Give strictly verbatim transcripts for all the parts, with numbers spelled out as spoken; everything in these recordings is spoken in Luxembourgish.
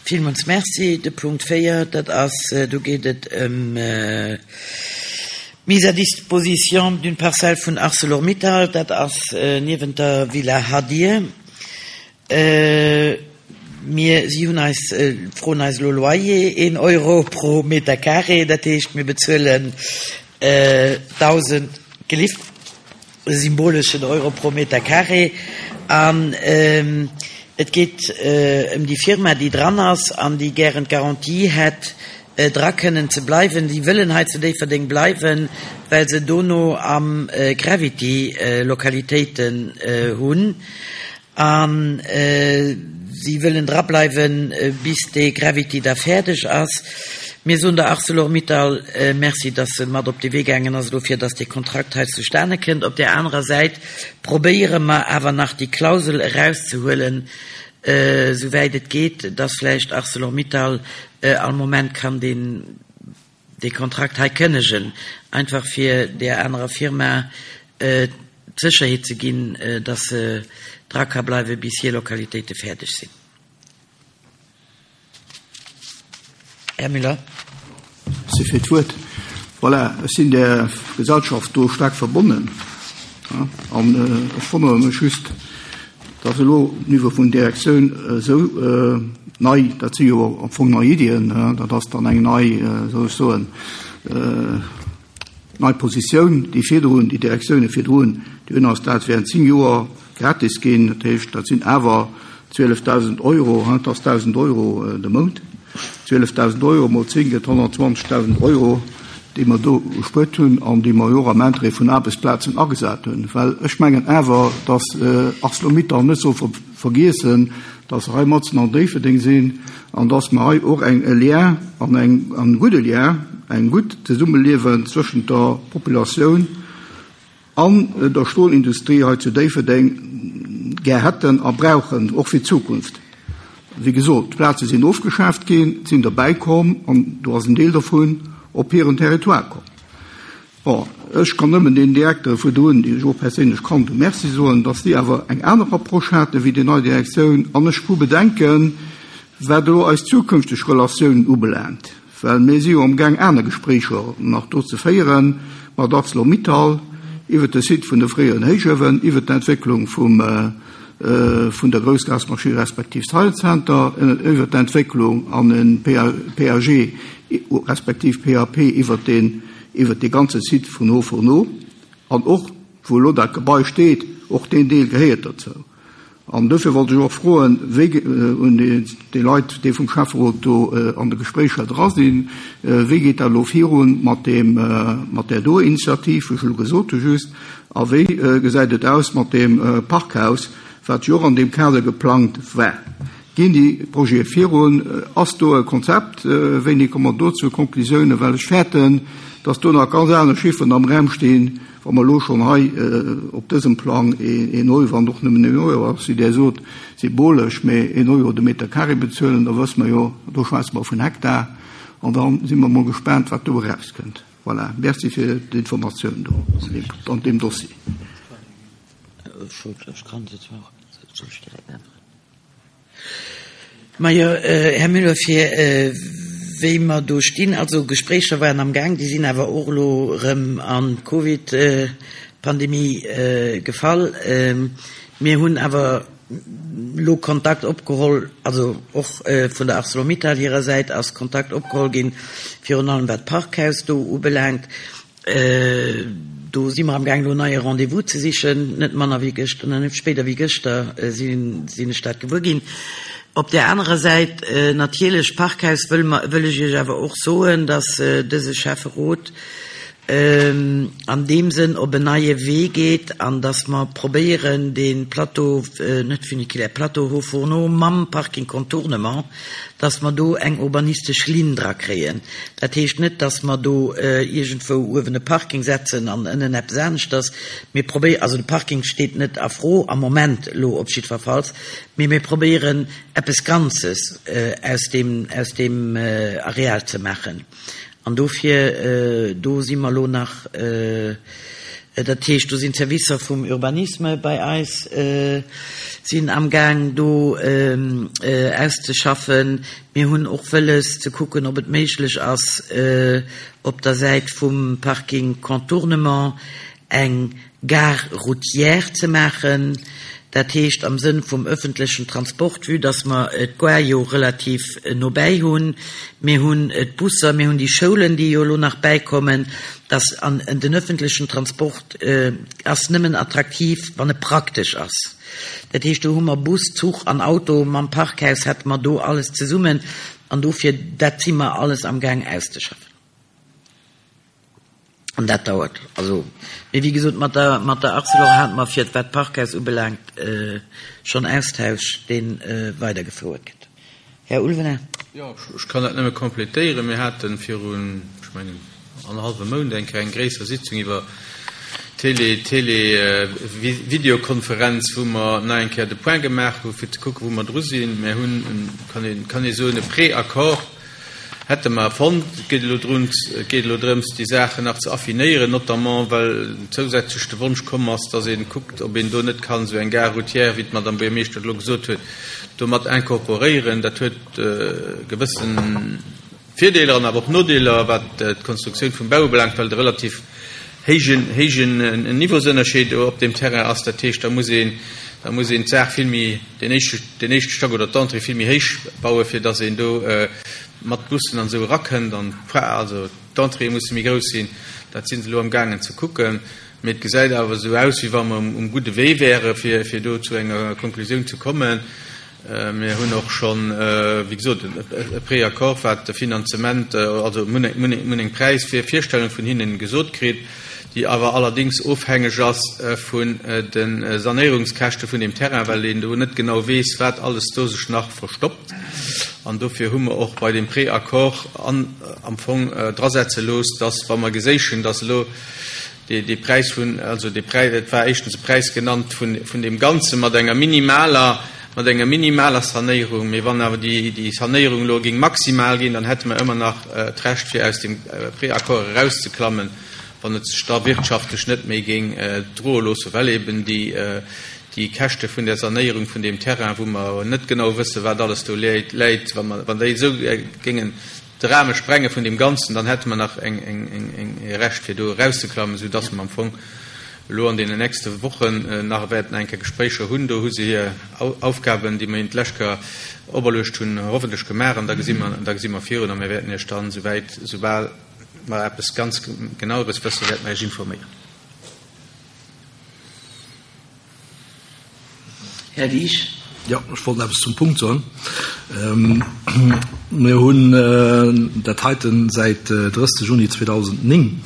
Villmools Merci. De Punkt véier, dat ass, do geet et ëm d'Mise à disposition d'une parcelle vun Arcelor-Mittal, dat ass niewent der Villa Hadir. Mir, si hunn eis, froen eis elo Loyer, een Euro pro Meter carré, dat heescht mir bezuelen dausend, gelift, e symboleschen Euro pro Meter carré. An et geet ëm déi Firma, déi dran ass an déi gären d'Garantie hätt, dra kënnen ze bleiwen. Si wëllen hei zu Déifferdeng bleiwen, well se dono am Gravity Lokalitéiten hunn. An si wëllen dra bleiwen, bis dee Gravity da fäerdeg ass. Mir soen der Arcelor-Mittal Merci, dass se mat op de Wee gaangen ass elo, fir dass dee Kontrakt hei zustane kënnt. Op där anerer Säit probéiere mer awer nach déi Klausel erauszehuelen, souwäit et geet, dass vläicht Arcelor-Mittal all Moment kann deen, dee Kontrakt hei kënnegen, einfach fir där anerer Firma d'Sécherheet ze ginn, dass se dra ka bleiwen, bis hir Lokalitéite fäerdeg sinn. Här Müller. Merci fir d'Wuert. Voilà, ech sinn där Gesellschaft do staark verbonnen. An ech wonnere mech just, dass elo um Niveau vun Direktioun esou nei, dat si jo am Fong nei Iddien, dat ass dann eng nei, wéi soll ech soen, nei Positioun, déi virdrun, déi Direktioune virdrun, déi hunn eis dat während zéng Joer gratis ginn. Dat heescht, dat sinn awer zwielefdausend Euro, dat ass dausend Euro de Mount. Zwielefdausend Euro mol zéng gëtt honnertzwanzegdausend Euro, déi mer do gespuert hunn an déi mer jo och am Interêt vun Aarbechtsplazen agesat hunn. Well ech mengen awer, dass ArcelorMittal net soll vergiessen, dass se hei matzen an Déifferdeng sinn an dass mer hei och eng e Lien an eng, an e gudde Lien, eng gutt Zesummeliewen zwëschent der Populatioun an der Stolindustrie hei zu Déifferdeng gär hätten a brauchen, och fir d'Zukunft. Wéi gesot, d'Plaze sinn ofgeschaaft ginn, et sinn derbäi komm an do ass en Deel dovun op hiren Territoire komm. Bon, ech kann nëmmen den Direktere virdrun, déi ech och perséinlech kannt hunn, Merci soen, datt si awer eng aner Approche hate wéi déi nei Direktioun. An ech hu Bedenken, wat elo eis zukünfteg Relatiounen ubelaangt, well mir si jo amgaang aner Gespréicher nach do ze féiere mat Arcelor-Mittal iwwert de Site vun de fréieren Héichuewen, iwwert d'Entwécklung vum vun der Groussgasmaschinn respektiv Science Center, iwwert d'Entwécklung an e P A G respektiv P A P iwwert deen, iwwert dee ganze Site vun Hauts-Fourneaux an och, wou elo dat Gebai steet, och deen Deel gehéiert dozou. An dofir wollt ech och froen, wéi un déi Leit, déi vum Schäfferot do an de Gespréicher dra sinn, wéi geet dat elo virun mat deem, mat där do Initiativ, wou ech elo gesot hu just, a wéi gesäit et aus mat deem Parkhaus, wat jo och an deem Kader geplangt war? Ginn déi Projete virun? Ass do e Konzept? Wéini komme mer do zu Konklusiounen? Well ech fäerten, dass do nach ganz aner Chifferen am Raum stinn, wa mer elo schonn hei op dësem Plang een Euro, wann och nëmmen een Euro ass, wéi Der sot, symbolesch, mä een Euro de Meter carré bezuelen, da wësse mer jo, do schwätze mer vun Hektar, an da si mer mol gespaant, wat do erauskënnt. Voilà, merci fir d'Informatioun do an deem Dossier. Ech kann se zwar, soll ech direkt äntweren? Majo, Här Müller, fir wéi mer do stinn, also Gespréicher waren am Gaang, déi sinn awer och elo erëm an d'Covid-Pandemie gefall. Mir hunn awer elo Kontakt opgeholl, also och vun der ArcelorMittal hirer Säit ass Kontakt opgeholl ginn, virun allem wat d'Parkhaus do ubelaangt. Do si mer am Gaang elo neie Rendez-vous ze sichen, net manner wéi gëschter, net spéider wéi gëschter sinn ech dat gewuer ginn. Op där anerer Säit natierlech Parkhaus wëll mer, wëll ech Iech awer och soen, dass dëse Schäfferot an deem Sënn op en neie Wee geet an dass mer probéieren dee Plateau, net Funiculaire, Plateau Hauts-Fourneaux mam Parking Contournement, dass mer do eng urbanistesch Linn dra kréien. Dat heescht net, dass mer do iergendwou uewen e Parking setzen an ënnen eppes aneschters. Mir probéieren, also de Parking steet net a Fro am Moment elo op jiddwerfalls, mee mir probéieren eppes Ganzes aus deem, aus deem Areal ze maachen. An dofir, do si mer elo nach Dat heescht, do sinn d'Servicer vum Urbanisme bei eis sinn amgaang do auszeschaffen. Mir hunn och wëlles ze kucken, ob et méiglech ass, op der Säit vum Parking Contournement eng Gare routière ze maachen. Dat heescht am Sënn vum öffentlechen Transport, vue dass mer d'Gare jo relativ nobäi hunn. Mir hunn d'Busser, mir hunn déi Schoulen, déi jo elo nach bäikommen, dass an den öffentlechen Transport ass nëmmen attraktiv, wann e praktesch ass. Dat heescht, do hu mer Bus, Zuch an Auto, mam Parkhaus hätte mer do alles zesummen an dofir, dat si mer alles amgaang auszeschaffen. An dat dauert. Also, mee wéi gesot, mat der, mat der Arcelor hate mer fir wat d'Parkhaus ubelaangt schonn Austausch, dee weidergefouert gëtt. Här Ulvener. Jo, ech kann dat nëmme complétéieren. Mir hate virun, ech mengen, annerhallwem Mount eng Kéier eng gréisser Sitzung iwwer Télé, Télé, Videokonferenz, wou mer nach eng Kéier de Point gemaach hu fir ze kucken, wou mer dru sinn. Mir hunn, kann een, kann ee soen, e Préaccord hätte mer fonnt. Et geet elo drun, et geet elo drëms, déi Saachen nach ze affinéieren, notamment well zousätzlech de Wonsch komm ass, dass ee kuckt, ob een do net kann esou eng Gare routière, wéi d'Madame Buergermeeschter elo gesot huet, do mat incorporéieren. Dat huet gewëssen Virdeeler an awer och Nodeeler, wat d'Konstruktioun vum Bau ubelaangt, well de relativ héijen, héijen Niveausënnerscheed op deem Terrain ass. Dat heescht, da muss een, da muss een d'Saach vill méi, den éischte, den éischte Stack oder d'Entrée vill méi héich bauen, fir dass een do mat Bussen an esou erakënnt an also d'Entréeë musse méi grouss sinn. Dat si se elo amgaangen ze kucken. Mee et gesäit awer esou aus, wéi wa mer um, um gudde Wee wäre fir, fir do zu enger Konklusioun ze kommen. Mir hunn och schonn, wéi gesot, e Préaccord, wat de Finanzement, also mir hunn eng, eng Präisvirstellung vun hinnen gesot kritt, déi awer allerdéngs ofhängeg ass vun de Sanéierungskäschte vun dem Terrain, well een do net genau weess, wat alles do sech nach verstoppt. An dofir hu mer och bei dem Préaccord an, am Fong drasetze looss, dass, wa mer geséichen, dass elo dee, dee Präis vun, also dee Präis, et war éischtens e Präis genannt vun, vun deem Ganze mat enger minimaler, mat enger minimaler Sanéierung, mee wann awer déi, déi Sanéierung elo géing maximal ginn, dann hätte mer ëmmer nach d'Recht, fir aus dem Préaccord erauszeklammen, wann et sech da wirtschaftlech net méi géing droe loossen, well eben déi, déi Käschte vun der Sanéierung vun deem Terrain, wou mer net genau wëssen, wat alles do läit, läit, wa mer, wann déi esou géingen de Rahme sprenge vun deem Ganzen, dann hätte mer nach eng, eng, eng, eng e Recht, fir do erauszeklammen, soudass mer am Fong elo an deenen nächste Wochen nach wäerten eng Kéier Gespréicher hunn. Do hu se hir Aufgaben, déi mer hinnen d'lescht Kéier operluecht hunn, hoffentlech gemaach an da gesi mer, da gesi mer virun a mir wäerten Iech dann, souwäit, soubal mer eppes ganz Genaueres wëssen, wäerte mer Iech informéieren. Här Wiesch. Jo, ech wollt eppes zum Punkt soen. Mir hunn dat heiten säit drësseg Juni zweedausendnéng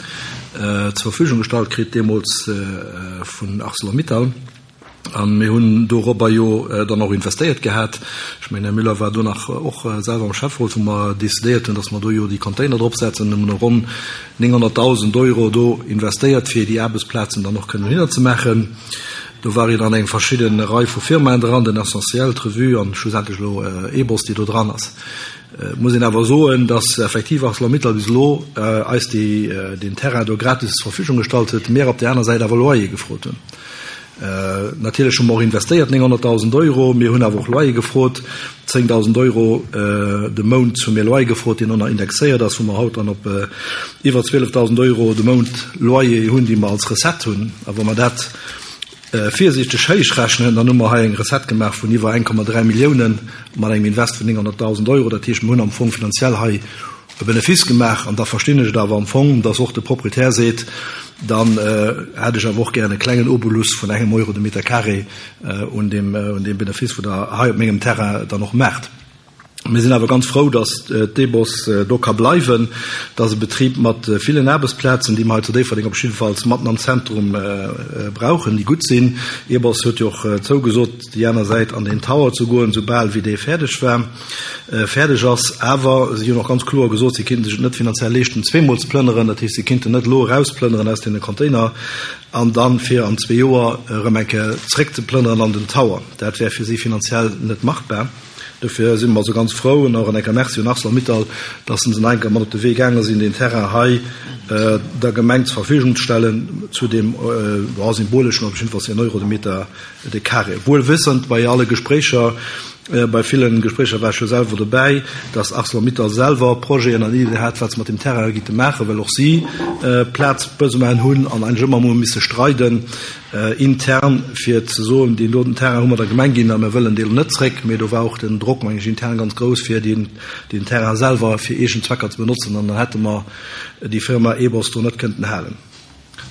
zur Verfügung gestallt kritt, deemools vun ArcelorMittal. An mir hunn dorobber jo dann och investéiert gehat. Ech mengen, Här Müller war do nach och selwer am Schäfferot, wou mer decidéiert hunn, dass mer do jo déi Container dropsetzen. Hu mer ronn nénghonnertdausend Euro do investéiert, fir déi Aarbechtsplazen dann och kënnen dohinner ze maachen. Do war jo dann eng verschidden Rei vu Firmaen dran, den Essentiel, d'Revue an schlussendlech elo E B O S, déi do dran ass. Et muss een awer soen, dass effektiv ArcelorMittal bis elo eis déi, deen Terrain do gratis zur Verfügung gestallt huet, mir op där aner Säit awer Loyer gefrot hunn. Natierlech hu mer och investéiert, nénghonnertdausend Euro, mir hunn awer och Loyer gefrot, zéngdausend Euro de Mount hu mir Loyer gefrot, deen ënner indexéiert ass, wou mer haut dann op iwwer zwielefdausend Euro de Mount Loyer hunn, déi mer als Recette hunn. A wa mer dat virsiichteg héich rechnen, dann hu mer hei eng Recette gemaach vun iwwer eng Komma dräi Milliounen mat engem Invest vun nénghonnertdausend Euro. Dat heescht, mir hunn am Fong finanziell hei e Benefice gemaach. An da verstinn ech et awer am Fong, dass och de Proprietär seet, dann hätt ech awer och gären e klengen Obolus vun engem Euro de Meter carré un deem, un deem Benefice, wou Der hei op mengem Terrain dann och maacht. Mir sinn awer ganz frou, dass d'EBOS do ka bleiwen. Dat ass e Betrib mat villen Aarbechtsplazen, déi mer hei zu Déifferdeng op jiddefalls matten am Zentrum brauchen, déi gutt sinn. E B O S huet jo och zougesot, déi aner Säit an den Tower ze goen, soubal wéi dee fäerdeg war, fäerdeg ass. Awer si hunn och ganz kloer gesot, si kéinten sech et net finanziell leeschten, zweemol ze plënneren. Dat heescht, si kéinten net elo erausplënneren aus deene Container an dann fir an zwee Joer erëm eng Kéier zréckzeplënneren an den Tower. Dat wär fir si finanziell net machbar. Dofir si mer also ganz frou an och en enker Merci un Arcelor-Mittal, dass se en enker mat op de Wee gaange sinn, deen Terrain hei der Gemeng zur Verfügung ze stellen zu deem symboleschen, op jiddefalls een Euro de Meter de carré. Wuel wëssend bei alle Gespréicher, bei villen Gespréicher war ech jo selwer dobäi, dass Arcelor-Mittal selwer Projeten an Iddien hat, wat se mat deem Terrain gitte maachen, well och si Plazbesoinen hunn an eigentlech ëmmer emol misse streiden intern, fir ze soen, deen doten Terrain hu mer der Gemeng ginn a mir wëllen deen net zréck. Mee do war och den Drock, meng ech, intern ganz grouss, fir deen Terrain selwer fir eegen Zwecker ze benotzen an dann hätte mer déi Firma Ebos do net kënnten halen.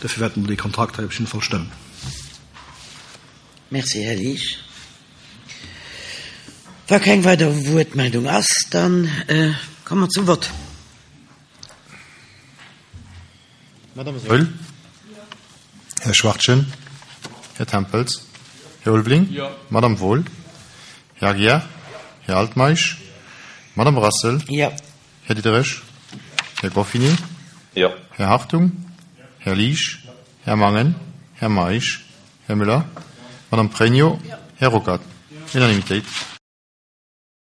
Dofir wäerte mer dee Kontrakt hei op jidde Fall stëmmen. Merci, Här Liesch. Wa keng weider Wuertmeldung ass, da komme mer zum Vott. Madame Saeul. Här Schwachtgen. Här Tempels. Här Ulveling. Madame Wohl. Här Aguiar. Här Altmeisch. Madame Brassel. Jo. Här Diderich. Här Goffinet. Jo. Här Hartung. Här Liesch. Här Mangen. Här Meisch. Här Müller. Madame Pregno. Här Ruckert. Unanimitéit.